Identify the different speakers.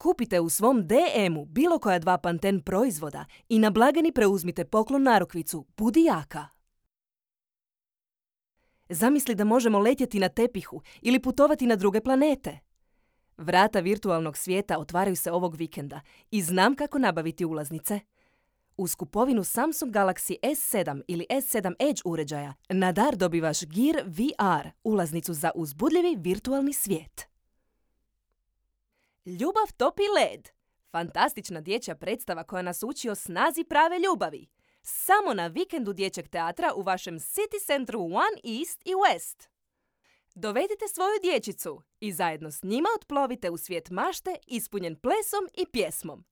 Speaker 1: Kupite u svom DM-u bilo koja 2 Panten proizvoda i na blagajni preuzmite poklon narukvicu Budi jaka. Zamisli da možemo letjeti na tepihu ili putovati na druge planete. Vrata virtualnog svijeta otvaraju se ovog vikenda i znam kako nabaviti ulaznice. Uz kupovinu Samsung Galaxy S7 ili S7 Edge uređaja na dar dobivaš Gear VR, ulaznicu za uzbudljivi virtualni svijet. Ljubav topi led. Fantastična dječja predstava koja nas uči o snazi prave ljubavi. Samo na vikendu dječjeg teatra u vašem City Centru One East i West. Dovedite svoju dječicu i zajedno s njima otplovite u svijet mašte ispunjen plesom i pjesmom.